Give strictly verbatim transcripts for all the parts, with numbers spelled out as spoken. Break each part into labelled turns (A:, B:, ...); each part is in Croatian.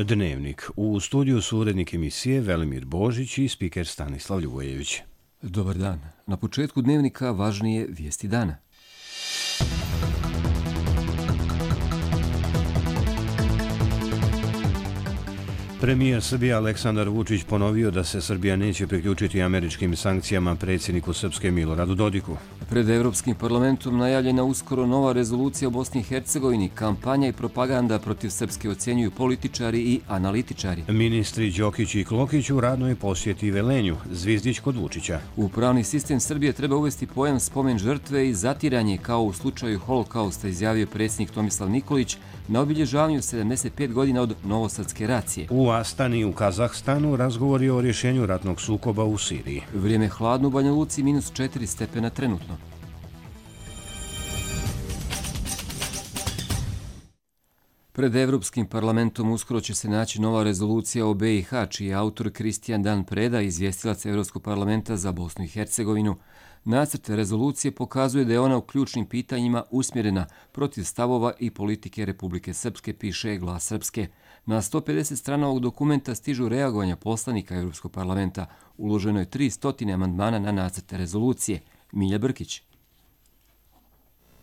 A: Dnevnik. U studiju su urednik emisije Velimir Božić i spiker Stanislav Ljubojević.
B: Dobar dan. Na početku Dnevnika važnije vijesti dana.
A: Premijer Srbije Aleksandar Vučić ponovio da se Srbija neće priključiti američkim sankcijama predsjedniku Srpske Miloradu Dodiku.
B: Pred Evropskim parlamentom najavljena uskoro nova rezolucija o Bosni i Hercegovini, kampanja i propaganda protiv Srpske ocjenjuju političari i analitičari.
A: Ministri Đokić i Klokić u radnoj posjeti Velenju, Zvizdić kod Vučića.
B: U pravni sistem Srbije treba uvesti pojam spomen žrtve i zatiranje, kao u slučaju Holokausta, izjavio predsjednik Tomislav Nikolić na obilježavanju sedamdeset pet godina od Novosadske racije.
A: U Astani u Kazahstanu razgovori o rješenju ratnog sukoba u Siriji.
B: Vrijeme hladno u Banja Luci, minus četiri stepena trenutno. Pred Evropskim parlamentom uskoro će se naći nova rezolucija o B i H, čiji je autor Kristijan Dan Preda, izvjestilac Evropskog parlamenta za Bosnu i Hercegovinu. Nacrt rezolucije pokazuje da je ona u ključnim pitanjima usmjerena protiv stavova i politike Republike Srpske, piše Glas Srpske. Na sto pedeset strana ovog dokumenta stižu reagovanja poslanika Evropskog parlamenta. Uloženo je tri stotine amandmana na nacrt rezolucije. Milja Brkić.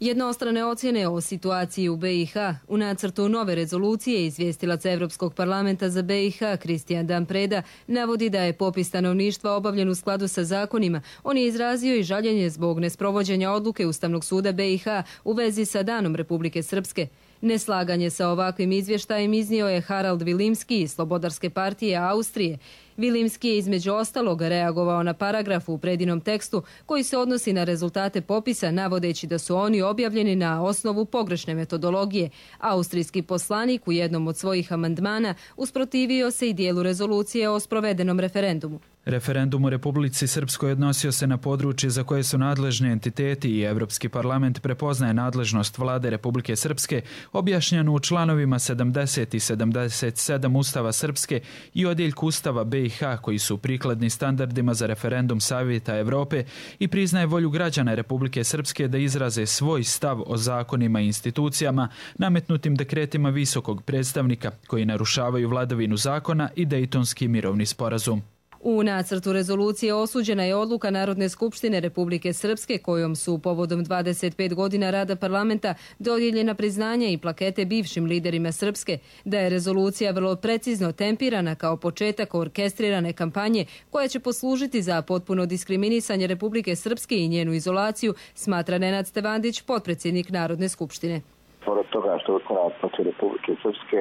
C: Jednostrane ocjene o situaciji u B i H u nacrtu nove rezolucije izvjestilac Evropskog parlamenta za B i H Kristijan Dan Preda navodi da je popis stanovništva obavljen u skladu sa zakonima. On je izrazio i žaljenje zbog nesprovođenja odluke Ustavnog suda B i H u vezi sa Danom Republike Srpske. Neslaganje sa ovakvim izvještajem iznio je Harald Vilimski iz Slobodarske partije Austrije. Vilimski je između ostalog reagovao na paragraf u Predinom tekstu koji se odnosi na rezultate popisa, navodeći da su oni objavljeni na osnovu pogrešne metodologije. Austrijski poslanik u jednom od svojih amandmana usprotivio se i dijelu rezolucije o sprovedenom referendumu.
D: Referendum u Republici Srpskoj odnosio se na područje za koje su nadležni entiteti i Evropski parlament prepoznaje nadležnost vlade Republike Srpske, objašnjenu u članovima sedamdeset i sedamdeset sedam Ustava Srpske i odjeljku Ustava B i H, koji su prikladni standardima za referendum Savjeta Evrope, i priznaje volju građana Republike Srpske da izraze svoj stav o zakonima i institucijama nametnutim dekretima visokog predstavnika koji narušavaju vladavinu zakona i Dejtonski mirovni sporazum.
C: U nacrtu rezolucije osuđena je odluka Narodne skupštine Republike Srpske kojom su povodom dvadeset pet godina rada parlamenta dodijeljena priznanja i plakete bivšim liderima Srpske, da je rezolucija vrlo precizno tempirana kao početak orkestrirane kampanje koja će poslužiti za potpuno diskriminisanje Republike Srpske i njenu izolaciju, smatra Nenad Stevandić, potpredsjednik Narodne skupštine.
E: Pored toga što je usmjerena protiv Republike Srpske,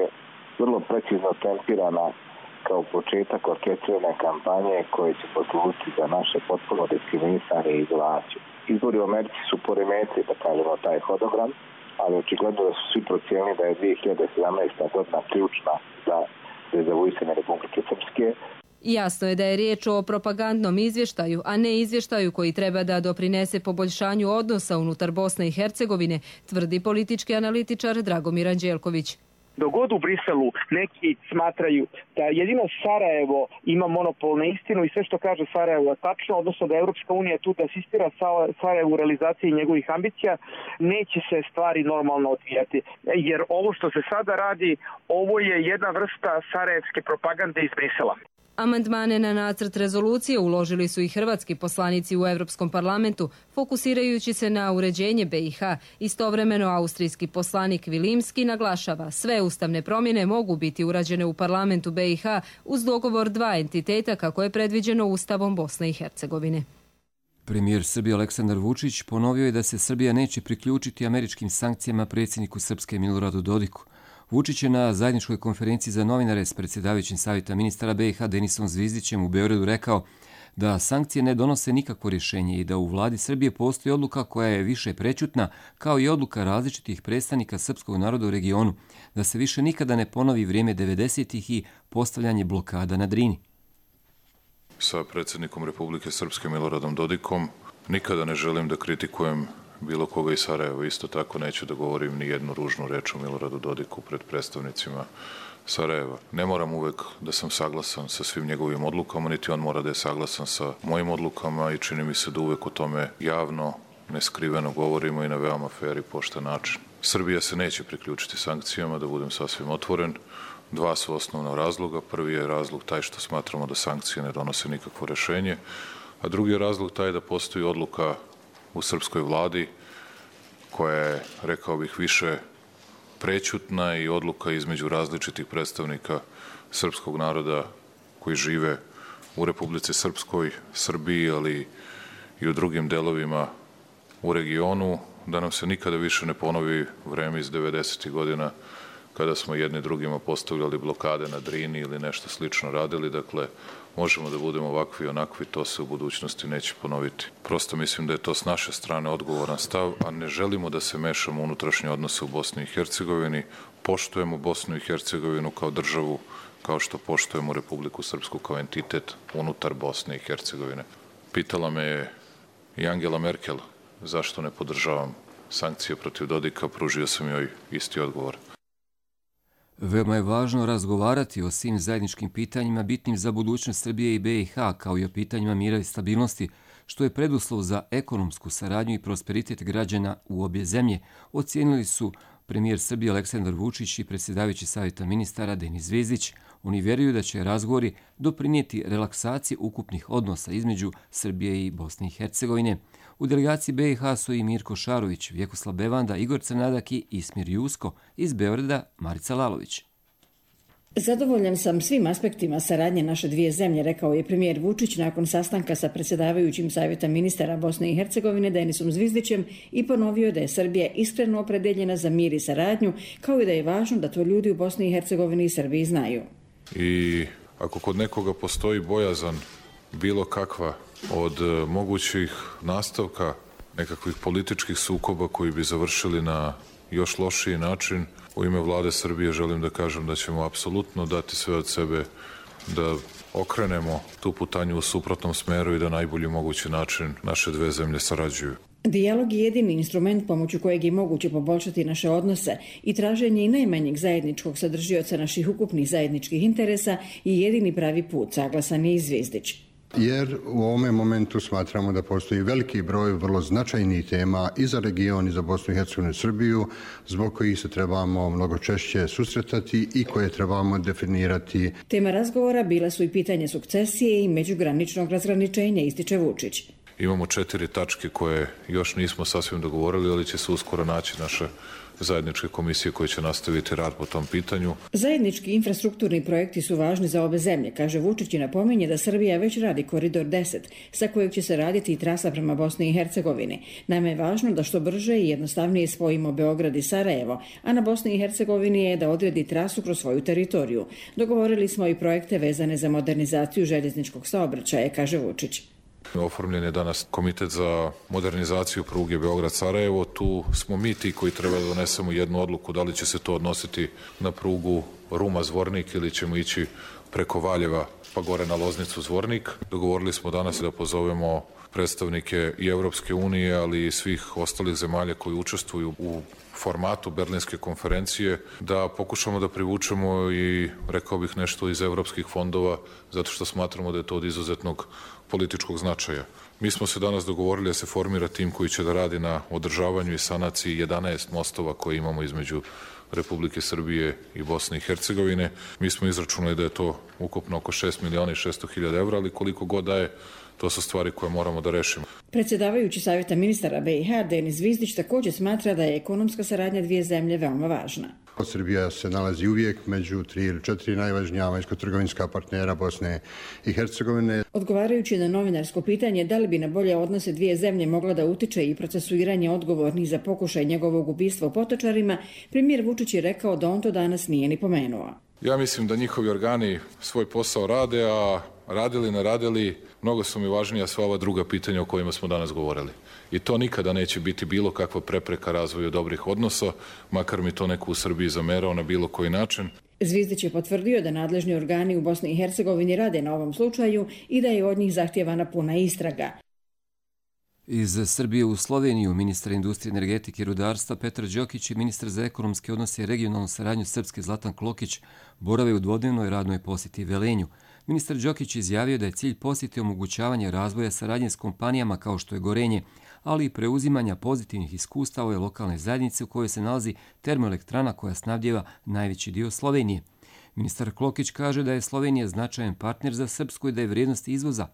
E: vrlo precizno tempirana kao početak orkestrirane kampanje koje će poslužiti za naše potpuno diskriminisanje i izolaciju. Izbori u Americi su poremetili, da kažemo, taj hodogram, ali očigledno da su svi procijenili da je dvije hiljade sedamnaesta godina ključna za dezavuisanje Republike Srpske.
C: Jasno je da je riječ o propagandnom izvještaju, a ne izvještaju koji treba da doprinese poboljšanju odnosa unutar Bosne i Hercegovine, tvrdi politički analitičar Dragomir Anđelković.
F: Dok god u Briselu neki smatraju da jedino Sarajevo ima monopol na istinu i sve što kaže Sarajevo je tačno, odnosno da Europska unija tu da asistira Sarajevu u realizaciji njegovih ambicija, neće se stvari normalno odvijati. Jer ovo što se sada radi, ovo je jedna vrsta sarajevske propagande iz Brisela.
C: Amandmane na nacrt rezolucije uložili su i hrvatski poslanici u Evropskom parlamentu, fokusirajući se na uređenje B i H. Istovremeno, austrijski poslanik Vilimski naglašava, sve ustavne promjene mogu biti urađene u parlamentu B i H uz dogovor dva entiteta kako je predviđeno Ustavom Bosne i Hercegovine.
B: Premijer Srbije Aleksandar Vučić ponovio je da se Srbija neće priključiti američkim sankcijama predsjedniku Srpske Miloradu Dodiku. Vučić je na zajedničkoj konferenciji za novinare s predsjedavajućim savjeta ministara B i H Denisom Zvizdićem u Beogradu rekao da sankcije ne donose nikakvo rješenje i da u vladi Srbije postoji odluka koja je više prećutna, kao i odluka različitih predstavnika srpskog naroda u regionu, da se više nikada ne ponovi vrijeme devedesetih i postavljanje blokada na Drini.
G: Sa predsjednikom Republike Srpske Miloradom Dodikom nikada ne želim da kritikujem bilo koga iz Sarajeva. Isto tako neću da govorim ni jednu ružnu reč o Miloradu Dodiku pred predstavnicima Sarajeva. Ne moram uvek da sam saglasan sa svim njegovim odlukama, niti on mora da je saglasan sa mojim odlukama i čini mi se da uvek o tome javno, neskriveno govorimo i na veoma fer i pošten način. Srbija se neće priključiti sankcijama, da budem sasvim otvoren. Dva su osnovna razloga. Prvi je razlog taj što smatramo da sankcije ne donose nikakvo rešenje, a drugi je razlog taj da postoji odluka u srpskoj vladi koja je, rekao bih, više prećutna i odluka između različitih predstavnika srpskog naroda koji žive u Republici Srpskoj, Srbiji, ali i u drugim delovima u regionu, da nam se nikada više ne ponovi vreme iz devedesetih godina kada smo jedni drugima postavljali blokade na Drini ili nešto slično radili. Dakle, možemo da budemo ovakvi i onakvi, to se u budućnosti neće ponoviti. Prosto mislim da je to s naše strane odgovoran stav, a ne želimo da se mešamo u unutrašnje odnose u Bosni i Hercegovini. Poštujemo Bosnu i Hercegovinu kao državu, kao što poštujemo Republiku Srpsku kao entitet unutar Bosne i Hercegovine. Pitala me je i Angela Merkel zašto ne podržavam sankcije protiv Dodika, pružio sam joj isti odgovor.
B: Veoma je važno razgovarati o svim zajedničkim pitanjima bitnim za budućnost Srbije i B i H, kao i o pitanjima mira i stabilnosti, što je preduslov za ekonomsku saradnju i prosperitet građana u obje zemlje, ocijenili su premijer Srbije Aleksandar Vučić i predsjedavajući Savjeta ministara Denis Zvizdić. Oni vjeruju da će razgovori doprinijeti relaksaciji ukupnih odnosa između Srbije i Bosne i Hercegovine. U delegaciji B i H su i Mirko Šarović, Vjekoslav Bevanda, Igor Crnadak i Ismir Jusko, iz Beograda Marica Lalović.
H: Zadovoljan sam svim aspektima saradnje naše dvije zemlje, rekao je premijer Vučić nakon sastanka sa predsjedavajućim Savjeta ministara Bosne i Hercegovine Denisom Zvizdićem i ponovio da je Srbija iskreno opredeljena za mir i saradnju, kao i da je važno da to ljudi u Bosni i Hercegovini i Srbiji znaju.
G: I ako kod nekoga postoji bojazan bilo kakva od mogućih nastavka nekakvih političkih sukoba koji bi završili na još lošiji način, u ime vlade Srbije želim da kažem da ćemo apsolutno dati sve od sebe da okrenemo tu putanju u suprotnom smeru i da najbolji mogući način naše dve zemlje sarađuju.
H: Dijalog je jedini instrument pomoću kojeg je moguće poboljšati naše odnose i traženje i najmanjeg zajedničkog sadržioca naših ukupnih zajedničkih interesa i jedini pravi put, saglasan je i Zvizdić.
I: Jer u ovome momentu smatramo da postoji veliki broj vrlo značajnih tema i za region i za Bosnu i Hercegovinu i Srbiju, zbog kojih se trebamo mnogo češće susretati i koje trebamo definirati.
H: Tema razgovora bila su i pitanje sukcesije i međugraničnog razgraničenja, ističe Vučić.
G: Imamo četiri tačke koje još nismo sasvim dogovorili, ali će se uskoro naći naše zajedničke komisije koje će nastaviti rad po tom pitanju.
H: Zajednički infrastrukturni projekti su važni za obe zemlje, kaže Vučić i napominje da Srbija već radi koridor deset, sa kojeg će se raditi i trasa prema Bosni i Hercegovini. Nama je važno da što brže i jednostavnije spojimo Beograd i Sarajevo, a na Bosni i Hercegovini je da odredi trasu kroz svoju teritoriju. Dogovorili smo i projekte vezane za modernizaciju željezničkog saobraćaja, kaže Vučić.
G: Oformljen je danas komitet za modernizaciju pruge Beograd-Sarajevo. Tu smo mi ti koji treba da donesemo jednu odluku da li će se to odnositi na prugu Ruma-Zvornik ili ćemo ići preko Valjeva pa gore na Loznicu-Zvornik. Dogovorili smo danas da pozovemo predstavnike i Evropske unije, ali i svih ostalih zemalja koji učestvuju u formatu Berlinske konferencije, da pokušamo da privučemo i, rekao bih, nešto iz evropskih fondova, zato što smatramo da je to od izuzetnog političkog značaja. Mi smo se danas dogovorili da se formira tim koji će da radi na održavanju i sanaciji jedanaest mostova koje imamo između Republike Srbije i Bosne i Hercegovine. Mi smo izračunali da je to ukupno oko šest miliona i šesto hiljada evra, ali koliko god da je, to su stvari koje moramo da rešimo.
H: Predsjedavajući Savjeta ministara B i H Denis Zvizdić također smatra da je ekonomska saradnja dvije zemlje veoma važna.
I: Srbija se nalazi uvijek među tri ili četiri najvažnija vanjsko-trgovinska partnera Bosne i Hercegovine.
H: Odgovarajući na novinarsko pitanje da li bi na bolje odnose dvije zemlje mogla da utiče i procesuiranje odgovornih za pokušaj njegovog ubistva u Potočarima, premijer Vučić je rekao da on to danas nije ni pomenuo.
G: Ja mislim da njihovi organi svoj posao rade, a radili, ne radili, mnogo su mi važnija sva ova druga pitanja o kojima smo danas govorili. I to nikada neće biti bilo kakva prepreka razvoju dobrih odnosa, makar mi to neko u Srbiji zamerao na bilo koji način.
H: Zvizdić je potvrdio da nadležni organi u Bosni i Hercegovini rade na ovom slučaju i da je od njih zahtjevana puna istraga.
B: Iz Srbije u Sloveniju ministar industrije, energetike i rudarstva Petar Đokić i ministar za ekonomske odnose i regionalnu saradnju Srpske Zlatan Klokić borave u dvodnevnoj radnoj posjeti Velenju. Ministar Đokić izjavio da je cilj posjete omogućavanje razvoja saradnje s kompanijama kao što je Gorenje, ali i preuzimanja pozitivnih iskustava ove lokalne zajednice u kojoj se nalazi termoelektrana koja snabdjeva najveći dio Slovenije. Ministar Klokić kaže da je Slovenija značajan partner za Srpsku i da je vrijednost izvoza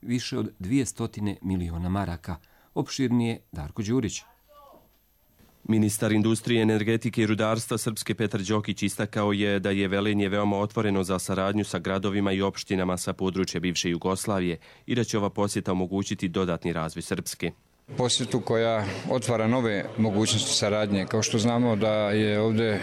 B: više od dvjesto miliona maraka. Opširnije Darko Đurić.
J: Ministar industrije, energetike i rudarstva Srpske Petar Đokić istakao je da je Velenje veoma otvoreno za saradnju sa gradovima i opštinama sa područja bivše Jugoslavije i da će ova posjeta omogućiti dodatni razvoj Srpske.
K: Posjetu koja otvara nove mogućnosti saradnje. Kao što znamo da je ovdje e,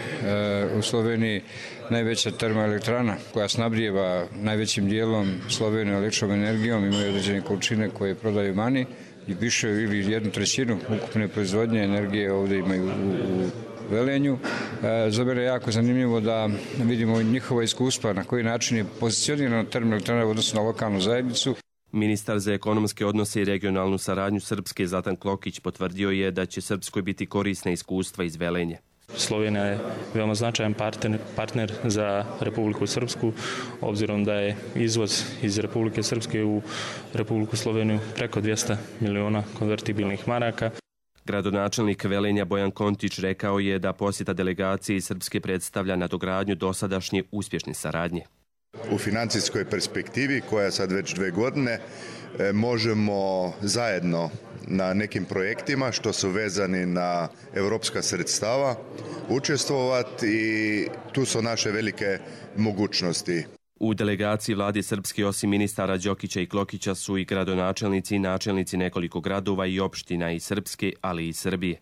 K: u Sloveniji najveća termoelektrana koja snabdijeva najvećim dijelom Sloveniju električnom energijom, imaju određene količine koje prodaju mani i više ili jednu trećinu ukupne proizvodnje energije ovdje imaju u, u Velenju. E, za mene je jako zanimljivo da vidimo njihova iskustva na koji način je pozicionirana termoelektrana u odnosu na lokalnu zajednicu.
J: Ministar za ekonomske odnose i regionalnu saradnju Srpske Zlatan Klokić potvrdio je da će Srpskoj biti korisna iskustva iz Velenje.
L: Slovenija je veoma značajan partner, partner za Republiku Srpsku, obzirom da je izvoz iz Republike Srpske u Republiku Sloveniju preko dvjesto miliona konvertibilnih maraka.
J: Gradonačelnik Velenja Bojan Kontić rekao je da posjeta delegacije iz Srpske predstavlja nadogradnju dosadašnje uspješne saradnje.
M: U financijskoj perspektivi, koja sad već dve godine, možemo zajedno na nekim projektima što su vezani na evropska sredstava učestvovati i tu su naše velike mogućnosti.
J: U delegaciji vlade Srpske osim ministara Đokića i Klokića su i gradonačelnici i načelnici nekoliko gradova i opština iz Srpske, ali i Srbije.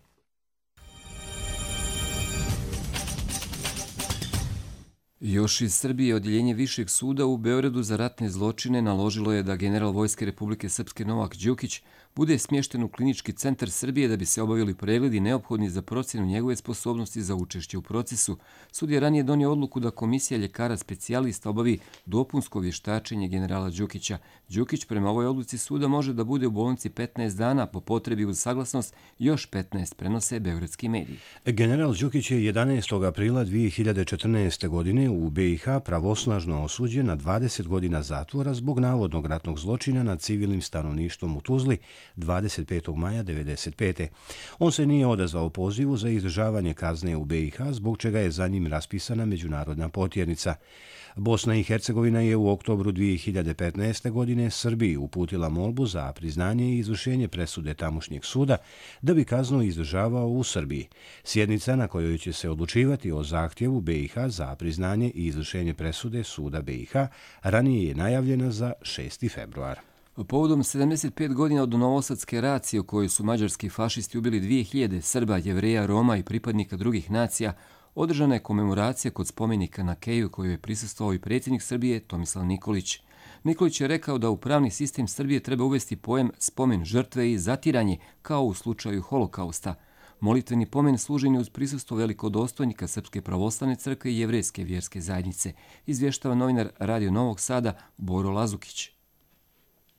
B: Još iz Srbije odjeljenje Višeg suda u Beogradu za ratne zločine naložilo je da general Vojske Republike Srpske Novak Đukić bude smješten u Klinički centar Srbije da bi se obavili pregledi neophodni za procjenu njegove sposobnosti za učešće u procesu. Sud je ranije donio odluku da komisija ljekara specijalista obavi dopunsko vještačenje generala Đukića. Đukić prema ovoj odluci suda može da bude u bolnici petnaest dana, po potrebi uz saglasnost još petnaest, prenose beogradski mediji.
A: General Đukić je jedanaestog aprila dvije hiljade četrnaeste. godine u B i H pravosnažno osuđen na dvadeset godina zatvora zbog navodnog ratnog zločina nad civilnim stanovništvom u Tuzli dvadeset petog maja devedeset pete. On se nije odazvao pozivu za izdržavanje kazne u B i H, zbog čega je za njim raspisana međunarodna potjernica. Bosna i Hercegovina je u oktobru dvije hiljade petnaeste. godine Srbiji uputila molbu za priznanje i izvršenje presude tamošnjeg suda da bi kaznu izdržavao u Srbiji. Sjednica na kojoj će se odlučivati o zahtjevu B i H za priznanje i izvršenje presude suda B i H ranije je najavljena za šesti februar.
B: Povodom sedamdeset pet godina od novosadske racije u kojoj su mađarski fašisti ubili dvije hiljade Srba, Jevreja, Roma i pripadnika drugih nacija, održana je komemoracija kod spomenika na Keju koju je prisustvovao i predsjednik Srbije Tomislav Nikolić. Nikolić je rekao da u pravni sistem Srbije treba uvesti pojam spomen žrtve i zatiranje kao u slučaju holokausta. Molitveni pomen služen je uz prisustvo velikodostojnika Srpske pravoslavne crkve i Jevrejske vjerske zajednice, izvještava novinar Radio Novog Sada Boro Lazukić.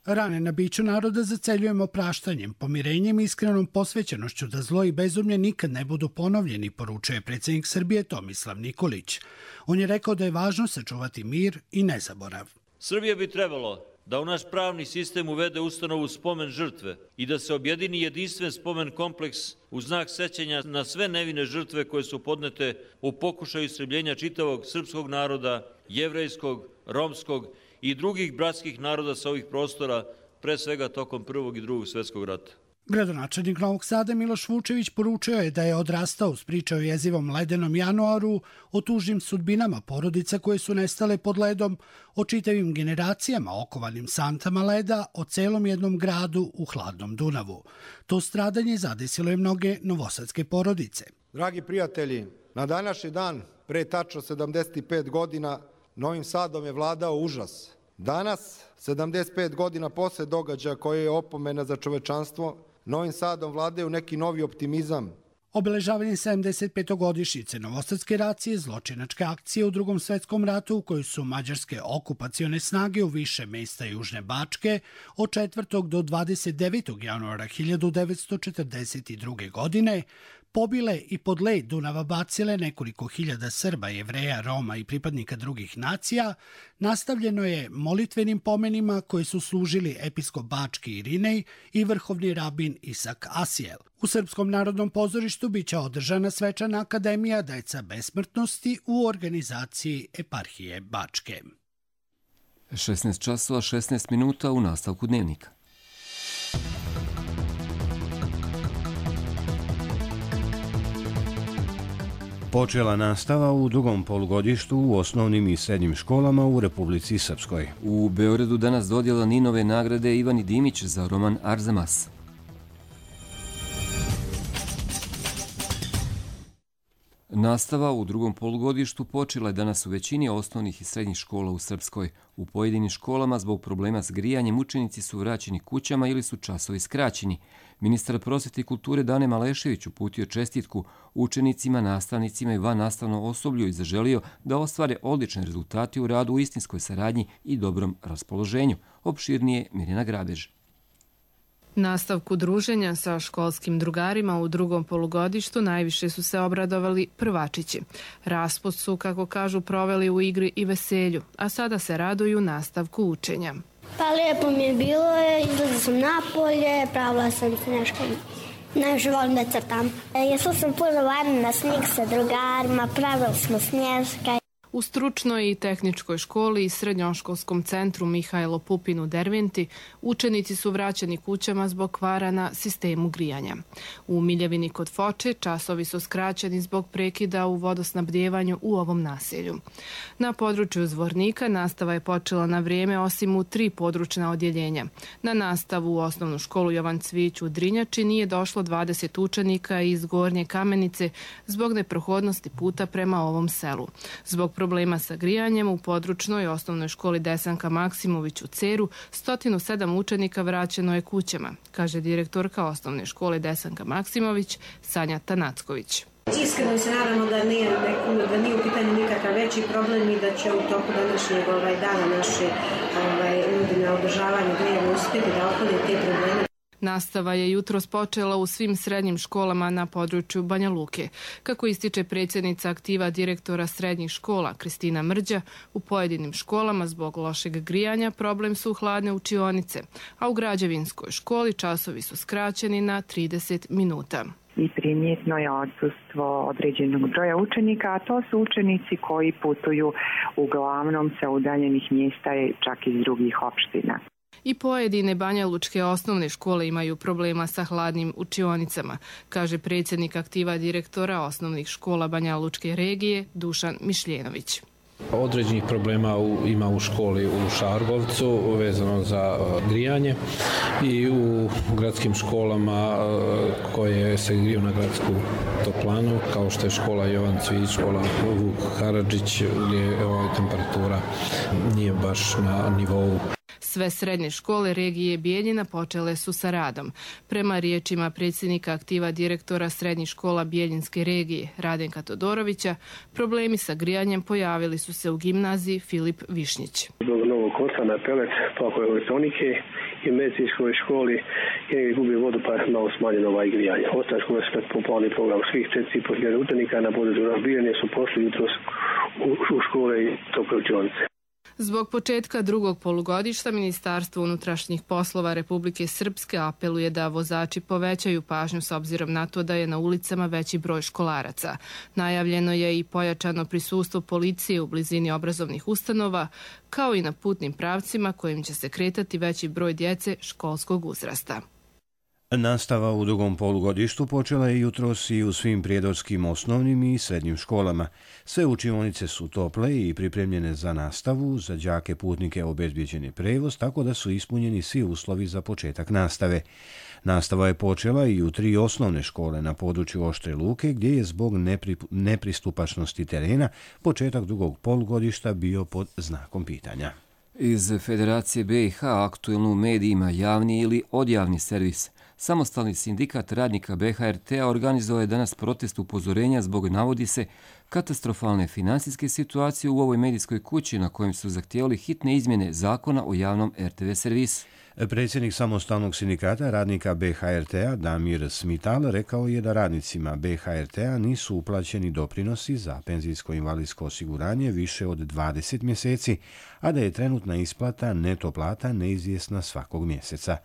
N: Rane na biću naroda zaceljujemo praštanjem, pomirenjem i iskrenom posvećenošću da zlo i bezumlje nikad ne budu ponovljeni, poručuje predsjednik Srbije Tomislav Nikolić. On je rekao da je važno sačuvati mir i nezaborav.
O: Srbija bi trebalo da u naš pravni sistem uvede ustanovu spomen žrtve i da se objedini jedinstven spomen kompleks u znak sećanja na sve nevine žrtve koje su podnete u pokušaju istrebljenja čitavog srpskog naroda, jevrejskog, romskog i drugih bratskih naroda sa ovih prostora, pre svega tokom Prvog i Drugog svjetskog rata.
N: Gradonačelnik Novog Sada Miloš Vučević poručio je da je odrastao uz priče o jezivom ledenom januaru, o tužnim sudbinama porodica koje su nestale pod ledom, o čitavim generacijama okovanim santama leda, o celom jednom gradu u hladnom Dunavu. To stradanje zadesilo je mnoge novosadske porodice.
P: Dragi prijatelji, na današnji dan, pre tačno sedamdeset pet godina, Novim Sadom je vladao užas. Danas, sedamdeset pet godina posle događaja koje je opomena za čovečanstvo, Novim Sadom vladaju neki novi optimizam.
N: Obeležavanje sedamdeset petogodišnjice novosadske racije, zločinačke akcije u Drugom svjetskom ratu u kojoj su mađarske okupacione snage u više mesta Južne Bačke od četvrtog do dvadeset devetog januara hiljadu devetsto četrdeset druge. godine pobile i pod led Dunava bacile nekoliko hiljada Srba, Jevreja, Roma i pripadnika drugih nacija, nastavljeno je molitvenim pomenima koji su služili episkop Bački Irinej i vrhovni rabin Isak Asijel. U Srpskom narodnom pozorištu biće održana svečana akademija Deca besmrtnosti u organizaciji eparhije Bačke.
B: šesnaest časova šesnaest minuta u nastavku dnevnika.
A: Počela nastava u drugom polugodištu u osnovnim i srednjim školama u Republici Srpskoj.
B: U Beogradu danas dodjela Ninove nagrade Ivani Dimić za roman Arzamas. Nastava u drugom polugodištu počela je danas u većini osnovnih i srednjih škola u Srpskoj. U pojedinim školama zbog problema s grijanjem učenici su vraćeni kućama ili su časovi skraćeni. Ministar prosvete i kulture Dane Malešević uputio čestitku učenicima, nastavnicima i vannastavnom osoblju i zaželio da ostvare odlične rezultate u radu u istinskoj saradnji i dobrom raspoloženju. Opširnije Mirjana Grabež.
Q: Nastavku druženja sa školskim drugarima u drugom polugodištu najviše su se obradovali prvačići. Raspust su, kako kažu, proveli u igri i veselju, a sada se raduju nastavku učenja.
R: Pa lijepo mi je bilo, izlazila sam napolje, pravila sam se nešto. Najviše volim da crtam. Jesla sam puno vani na snijeg sa drugarima, pravili smo snježka.
Q: U stručnoj i tehničkoj školi i srednjoškolskom centru Mihajlo Pupin u Derventi učenici su vraćeni kućama zbog kvara na sistemu grijanja. U Miljevini kod Foče časovi su skraćeni zbog prekida u vodosnabdjevanju u ovom naselju. Na području Zvornika nastava je počela na vrijeme osim u tri područna odjeljenja. Na nastavu u osnovnu školu Jovan Cvić u Drinjači nije došlo dvadeset učenika iz Gornje Kamenice zbog neprohodnosti puta prema ovom selu. Zbog problema sa grijanjem u područnoj osnovnoj školi Desanka Maksimović u Ceru sto sedam učenika vraćeno je kućama, kaže direktorka osnovne škole Desanka Maksimović Sanja Tanacković.
S: Iskreno se nadamo da nije, da nije u pitanju nikakav veći problem i da će u toku današnjeg ovaj, dana naši ovaj, ljudi na održavanju grijanja uspjeti da otklone te probleme.
Q: Nastava je jutros počela u svim srednjim školama na području Banja Luke. Kako ističe predsjednica aktiva direktora srednjih škola Kristina Mrđa, u pojedinim školama zbog lošeg grijanja problem su hladne učionice, a u građevinskoj školi časovi su skraćeni na trideset minuta.
T: I primjetno je odsustvo određenog broja učenika, a to su učenici koji putuju uglavnom sa udaljenih mjesta i čak iz drugih opština.
Q: I pojedine banjalučke osnovne škole imaju problema sa hladnim učionicama, kaže predsjednik aktiva direktora osnovnih škola Banjalučke regije Dušan Mišljenović.
U: Određenih problema u, ima u školi u Šargovcu vezano za uh, grijanje i u gradskim školama uh, koje se griju na gradsku toplanu, kao što je škola Jovan Cvić, škola Vuk Karadžić, gdje ova temperatura nije baš na nivou.
Q: Sve srednje škole regije Bijeljina počele su sa radom. Prema riječima predsjednika aktiva direktora srednjih škola Bijeljinske regije Radenka Todorovića, problemi sa grijanjem pojavili su se u gimnaziji Filip Višnjić.
V: Zbog novog kotla na pelet, pakove elektronike i medicinskoj školi je gubi vodu pa je malo smanjeno ovaj grijanje. Ostale škole su popularni program svih četiri po hiljade učenika na području razbijanja su pošli jutros u škole i tople učionice.
Q: Zbog početka drugog polugodišta Ministarstvo unutrašnjih poslova Republike Srpske apeluje da vozači povećaju pažnju s obzirom na to da je na ulicama veći broj školaraca. Najavljeno je i pojačano prisustvo policije u blizini obrazovnih ustanova, kao i na putnim pravcima kojim će se kretati veći broj djece školskog uzrasta.
A: Nastava u drugom polugodištu počela je jutros i u svim prijedorskim osnovnim i srednjim školama. Sve učionice su tople i pripremljene za nastavu, za đake putnike obezbijeđen je prevoz, tako da su ispunjeni svi uslovi za početak nastave. Nastava je počela i u tri osnovne škole na području Oštre Luke, gdje je zbog nepri, nepristupačnosti terena početak drugog polugodišta bio pod znakom pitanja.
B: Iz Federacije B i H aktuelno u medijima javni ili odjavni servis. Samostalni sindikat radnika B H R T-a organizovao je danas protest upozorenja zbog, navodi se, katastrofalne finansijske situacije u ovoj medijskoj kući na kojem su zahtijevali hitne izmjene zakona o javnom R T V servisu.
A: Predsjednik samostalnog sindikata radnika B H R T-a Damir Smital rekao je da radnicima B H R T-a nisu uplaćeni doprinosi za penzijsko-invalidsko osiguranje više od dvadeset mjeseci, a da je trenutna isplata neto plata neizvjesna svakog mjeseca.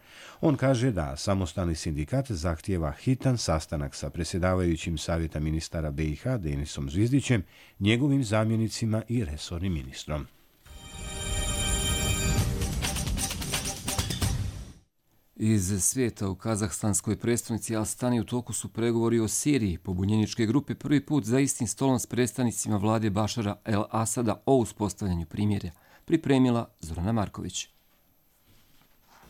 A: On kaže da samostalni sindikat zahtijeva hitan sastanak sa predsjedavajućim savjeta ministara B i H Denisom Zvizdićem, njegovim zamjenicima i resornim ministrom.
B: Iz svijeta u kazahstanskoj predstavnici Astani u toku su pregovori o Siriji. Pobunjeničke grupe prvi put za istim stolom s predstavnicima vlade Bašara El Asada o uspostavljanju primirja. Pripremila Zorana Marković.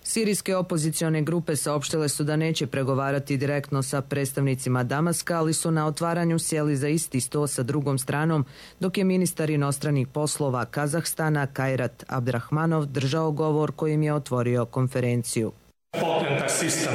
D: Sirijske opozicione grupe saopštile su da neće pregovarati direktno sa predstavnicima Damaska, ali su na otvaranju sjeli za isti sto sa drugom stranom, dok je ministar inostranih poslova Kazahstana Kajrat Abdrahmanov držao govor kojim je otvorio konferenciju.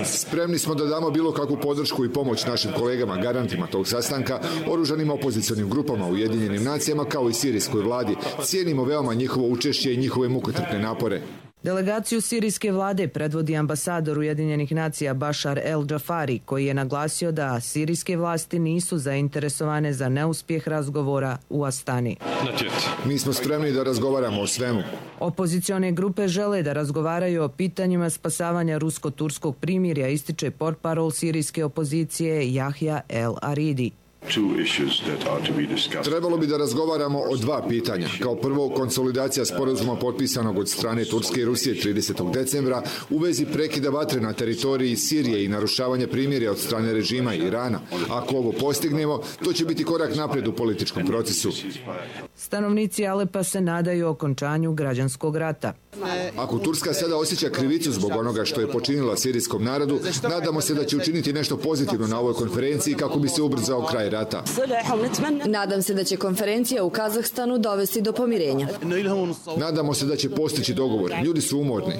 E: Spremni smo da damo bilo kakvu podršku i pomoć našim kolegama, garantima tog sastanka, oružanim opozicionim grupama u Ujedinjenim nacijama kao i sirijskoj vladi. Cijenimo veoma njihovo učešće i njihove mukotrpne napore.
D: Delegaciju sirijske vlade predvodi ambasador Ujedinjenih nacija Bashar el-Džafari, koji je naglasio da sirijske vlasti nisu zainteresovane za neuspjeh razgovora u Astani.
E: Mi smo spremni da razgovaramo o svemu.
D: Opozicione grupe žele da razgovaraju o pitanjima spasavanja rusko-turskog primirja, ističe portparol sirijske opozicije Jahja el-Aridi.
E: Trebalo bi da razgovaramo o dva pitanja. Kao prvo, konsolidacija sporazuma potpisanog od strane Turske i Rusije tridesetog decembra u vezi prekida vatre na teritoriji Sirije i narušavanja primirja od strane režima Irana. Ako ovo postignemo, to će biti korak naprijed u političkom procesu.
D: Stanovnici Alepa se nadaju okončanju građanskog rata.
E: Ako Turska sada osjeća krivicu zbog onoga što je počinila sirijskom narodu, nadamo se da će učiniti nešto pozitivno na ovoj konferenciji kako bi se ubrzao kraj rata.
W: Nadam se da će konferencija u Kazahstanu dovesti do pomirenja.
E: Nadamo se da će postići dogovor. Ljudi su umorni.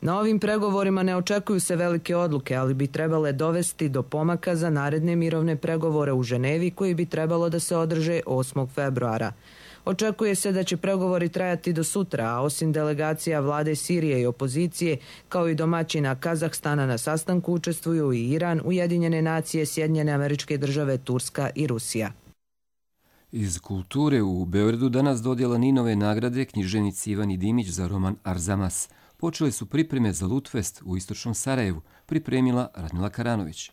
D: Na ovim pregovorima ne očekuju se velike odluke, ali bi trebale dovesti do pomaka za naredne mirovne pregovore u Ženevi koji bi trebalo da se održe osmog februara. Očekuje se da će pregovori trajati do sutra, a osim delegacija vlade Sirije i opozicije, kao i domaćina Kazahstana na sastanku učestvuju i Iran, Ujedinjene nacije, Sjedinjene Američke Države, Turska i Rusija.
B: Iz kulture u Beogradu danas dodjela Ninove nagrade književnici Ivani Dimić za roman Arzamas. Počele su pripreme za Lutfest u istočnom Sarajevu, pripremila Radmila Karanović.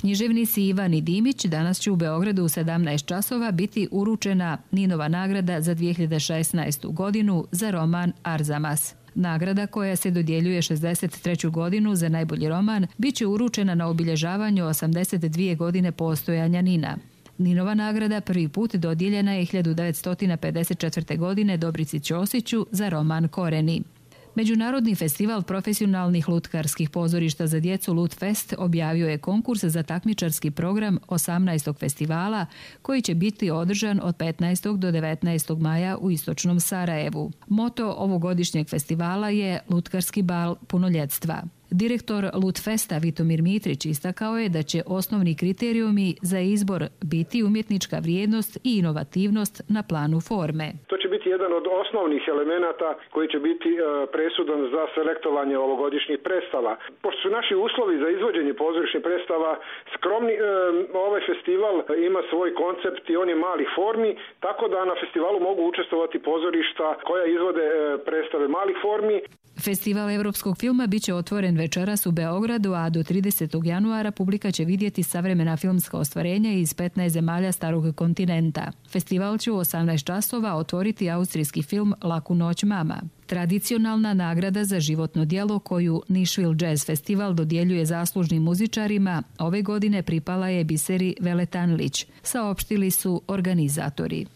X: Književnici Ivan i Dimić danas će u Beogradu u sedamnaest časova biti uručena Ninova nagrada za dvije hiljade šesnaestu. godinu za roman Arzamas. Nagrada, koja se dodjeljuje šezdeset treću godinu za najbolji roman, bit će uručena na obilježavanju osamdeset dvije godine postojanja Nina. Ninova nagrada prvi put dodijeljena je hiljadu devetsto pedeset četvrte. godine Dobrici Ćosiću za roman Koreni. Međunarodni festival profesionalnih lutkarskih pozorišta za djecu Lutfest objavio je konkurs za takmičarski program osamnaestog festivala koji će biti održan od petnaestog do devetnaestog maja u istočnom Sarajevu. Moto ovogodišnjeg festivala je Lutkarski bal punoljetstva. Direktor Lutfesta Vitomir Mitrić istakao je da će osnovni kriterijumi za izbor biti umjetnička vrijednost i inovativnost na planu forme.
Y: To će biti jedan od osnovnih elemenata koji će biti presudan za selektovanje ovogodišnjih predstava. Pošto su naši uslovi za izvođenje pozorišnih predstava skromni, ovaj festival ima svoj koncept i on je malih formi, tako da na festivalu mogu učestvovati pozorišta koja izvode predstave malih formi.
X: Festival evropskog filma biće otvoren večeras u Beogradu, a do tridesetog januara publika će vidjeti savremena filmska ostvarenja iz petnaest zemalja starog kontinenta. Festival će u osamnaest časova otvoriti austrijski film Laku noć mama. Tradicionalna nagrada za životno djelo koju Nashville Jazz Festival dodjeljuje zaslužnim muzičarima ove godine pripala je Biseri Veletanlić, saopštili su organizatori.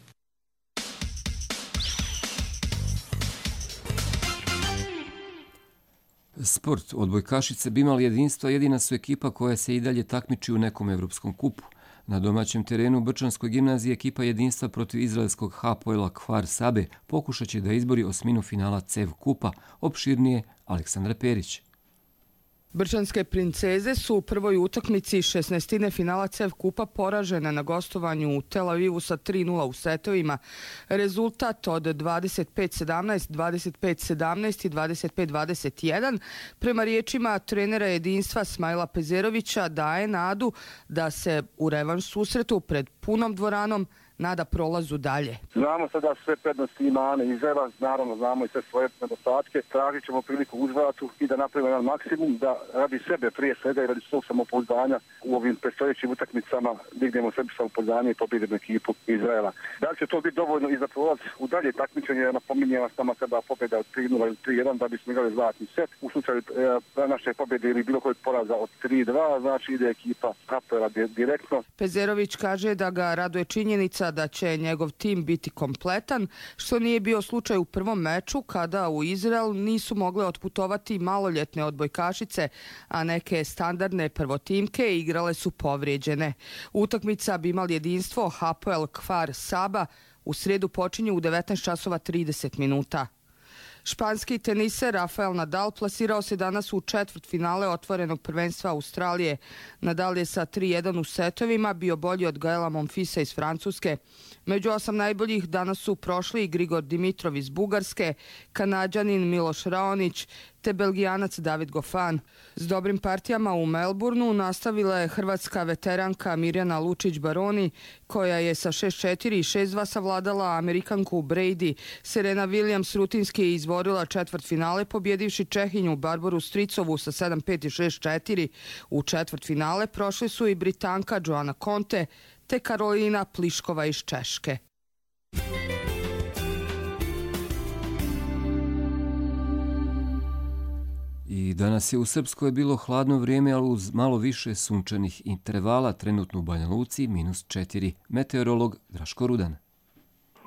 B: Sport. Odbojkašice bi imali jedinstvo, jedina su ekipa koja se i dalje takmiči u nekom evropskom kupu. Na domaćem terenu u Brčanskoj gimnaziji ekipa jedinstva protiv izraelskog Hapoela Kfar Sabe pokušat će da izbori osminu finala C E V kupa. Opširnije Aleksandra Perić.
C: Brčanske princeze su u prvoj utakmici šesnaestine finala C E F kupa poražene na gostovanju u Tel Avivu sa tri nula u setovima. Rezultat od dvadeset pet sedamnaest, dvadeset pet sedamnaest i dvadeset pet dvadeset jedan prema riječima trenera jedinstva Smajla Pezerovića daje nadu da se u revanš susretu pred punom dvoranom nada prolazu dalje.
F: Znamo sada sve prednosti ima Ane Izraela, naravno znamo i sve svoje nedostatke. Tražit ćemo priliku u uzvratu i da napravimo jedan maksimum da radi sebe prije svega i radi svog samopouzdanja u ovim predstojećim utakmicama dignemo sebi samopouzdanje i pobjedimo ekipu Izraela. Da li će to biti dovoljno i za prolaz u dalje takmičenje, napominjem vas tamo kada pobjeda od tri nula ili tri jedan da bismo igrali zlatni set. U slučaju e, naše pobjede ili bilo kojeg poraza od tri dva, znači ide ekipa Hapoela direktno.
C: Pezerović kaže da ga raduje činjenica da će njegov tim biti kompletan, što nije bio slučaj u prvom meču kada u Izrael nisu mogle otputovati maloljetne odbojkašice, a neke standardne prvotimke igrale su povrijeđene. Utakmica bi imala jedinstvo Hapoel Kfar Saba u srijedu počinje u devetnaest časova trideset minuta. Španski teniser Rafael Nadal plasirao se danas u četvrtfinale otvorenog prvenstva Australije. Nadal je sa tri jedan u setovima bio bolji od Gaela Monfilsa iz Francuske. Među osam najboljih danas su prošli Grigor Dimitrov iz Bugarske, Kanađanin Miloš Raonić te Belgijanac David Goffin. S dobrim partijama u Melbourneu nastavila je hrvatska veteranka Mirjana Lučić-Baroni, koja je sa šest četiri i šest dva savladala Amerikanku Brady. Serena Williams rutinski je izborila četvrtfinale pobjedivši Čehinju Barboru Stricovu sa sedam pet i šest četiri. U četvrtfinale prošli su i Britanka Joana Conte te Karolina Pliškova iz Češke.
B: I danas je u Srpskoj bilo hladno vrijeme, ali uz malo više sunčanih intervala, trenutno u Banja Luci minus četiri. Meteorolog Draško Rudan.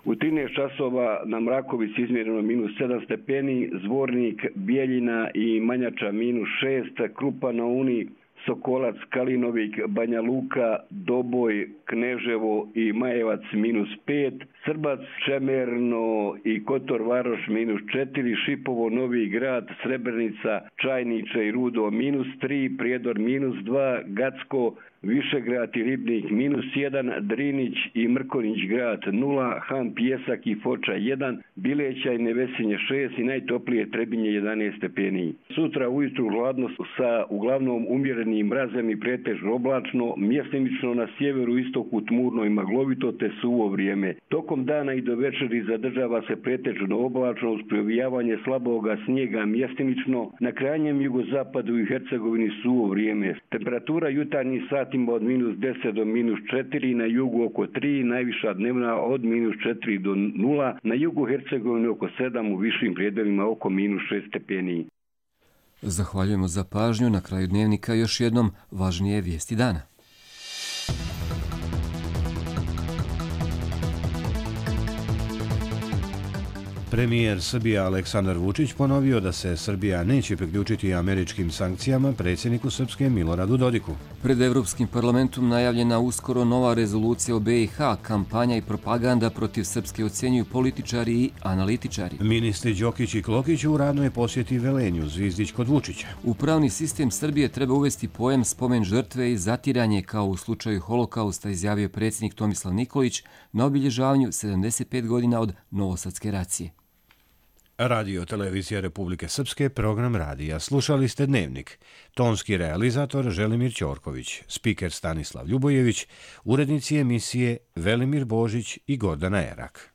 G: U trinaest časova na Mrakovici izmjereno minus sedam stepeni, Zvornik, Bijeljina i Manjača minus šest, Krupa na Uni, Sokolac, Kalinovik, Banja Luka, Doboj, Kneževo i Majevac minus pet, Srbac, Čemerno i Kotor Varoš minus četiri, Šipovo, Novi Grad, Srebrenica, Čajniče i Rudo minus tri, Prijedor minus dva, Gacko, Višegrad i Ribnik minus jedan, Drinić i Mrkonić grad nula, Han, Pjesak i Foča jedan, Bileća i Nevesinje šest i najtoplije Trebinje jedanaest stepeni. Sutra ujutru hladno sa uglavnom umjerenim mrazem i pretežno oblačno, mjestimično na sjeveru istoku tmurno i maglovito te suvo vrijeme. Tokom dana i do večeri zadržava se pretežno oblačno uz provijavanje slaboga snijega mjestimično, na krajnjem jugozapadu i Hercegovini suvo vrijeme. Temperatura jutarnjih satima od minus deset do minus četiri, na jugu oko tri, najviša dnevna od minus četiri do nula, na jugu Hercegovine oko sedam, u višim prijedelima oko minus šest stepeni.
B: Zahvaljujemo za pažnju. Na kraju dnevnika još jednom važnije vijesti dana.
A: Premijer Srbije Aleksandar Vučić ponovio da se Srbija neće priključiti američkim sankcijama predsjedniku Srpske Miloradu Dodiku.
B: Pred Evropskim parlamentom najavljena uskoro nova rezolucija o B i H, kampanja i propaganda protiv Srpske ocjenjuju političari i analitičari.
A: Ministri Đokić i Klokić u radnoj posjeti Velenju, Zvizdić kod Vučića.
B: U pravni sistem Srbije treba uvesti pojam spomen žrtve i zatiranje kao u slučaju Holokausta, izjavio predsjednik Tomislav Nikolić na obilježavanju sedamdeset pet godina od Novosadske racije.
A: Radio Televizija Republike Srpske, program radija. Slušali ste Dnevnik. Tonski realizator Želimir Ćorković, spiker Stanislav Ljubojević, urednici emisije Velimir Božić i Gordana Erak.